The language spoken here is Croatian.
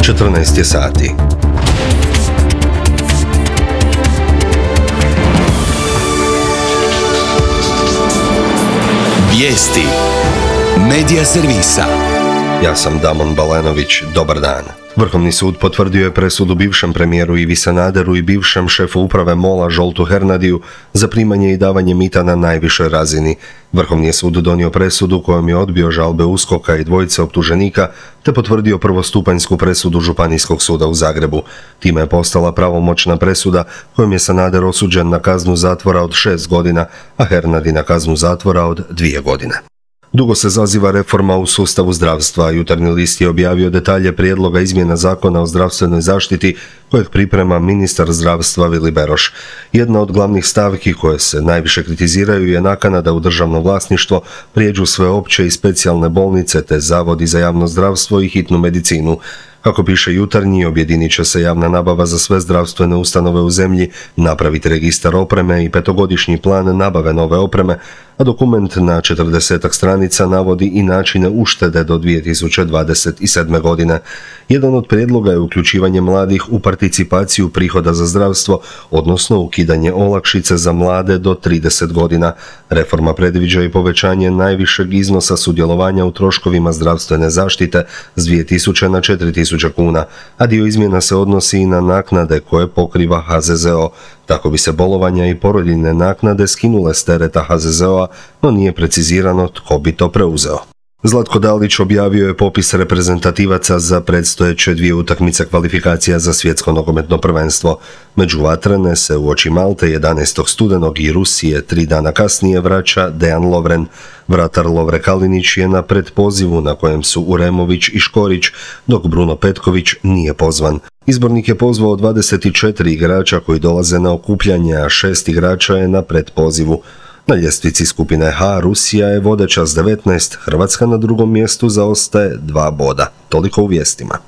14 je sati. Vijesti Medija servisa. Ja sam Damon Balenović, dobar dan. Vrhovni sud potvrdio je presudu bivšem premijeru Ivi Sanaderu i bivšem šefu uprave MOL-a Zsoltu Hernadiju za primanje i davanje mita na najvišoj razini. Vrhovni je sud donio presudu kojom je odbio žalbe USKOK-a i dvojice optuženika te potvrdio prvostupanjsku presudu Županijskog suda u Zagrebu. Time je postala pravomoćna presuda kojom je Sanader osuđen na kaznu zatvora od 6 godina, a Hernadi na kaznu zatvora od 2 godine. Dugo se zaziva reforma u sustavu zdravstva. Jutarnji list je objavio detalje prijedloga izmjena zakona o zdravstvenoj zaštiti kojeg priprema ministar zdravstva Vili Beroš. Jedna od glavnih stavki koje se najviše kritiziraju je nakana da u državno vlasništvo prijeđu sve opće i specijalne bolnice te zavodi za javno zdravstvo i hitnu medicinu. Kako piše Jutarnji, objedinit će se javna nabava za sve zdravstvene ustanove u zemlji, napraviti registar opreme i 5-godišnji plan nabave nove opreme, a dokument na 40 stranica navodi i načine uštede do 2027. godine. Jedan od prijedloga je uključivanje mladih u participaciju prihoda za zdravstvo, odnosno ukidanje olakšice za mlade do 30 godina. Reforma predviđa i povećanje najvišeg iznosa sudjelovanja u troškovima zdravstvene zaštite s 2000 na 4000 kuna, a dio izmjena se odnosi i na naknade koje pokriva HZZO. Tako bi se bolovanja i porodiljne naknade skinule s tereta HZZO-a, no nije precizirano tko bi to preuzeo. Zlatko Dalić objavio je popis reprezentativaca za predstojeće 2 utakmice kvalifikacija za svjetsko nogometno prvenstvo. Među vatrene se uoči Malte 11. studenog i Rusije 3 dana kasnije vraća Dejan Lovren. Vratar Lovre Kalinić je na predpozivu na kojem su Uremović i Škorić, dok Bruno Petković nije pozvan. Izbornik je pozvao 24 igrača koji dolaze na okupljanje, a 6 igrača je na predpozivu. Na ljestvici skupine H Rusija je vodeća s 19, Hrvatska na drugom mjestu zaostaje 2 boda. Toliko u vijestima.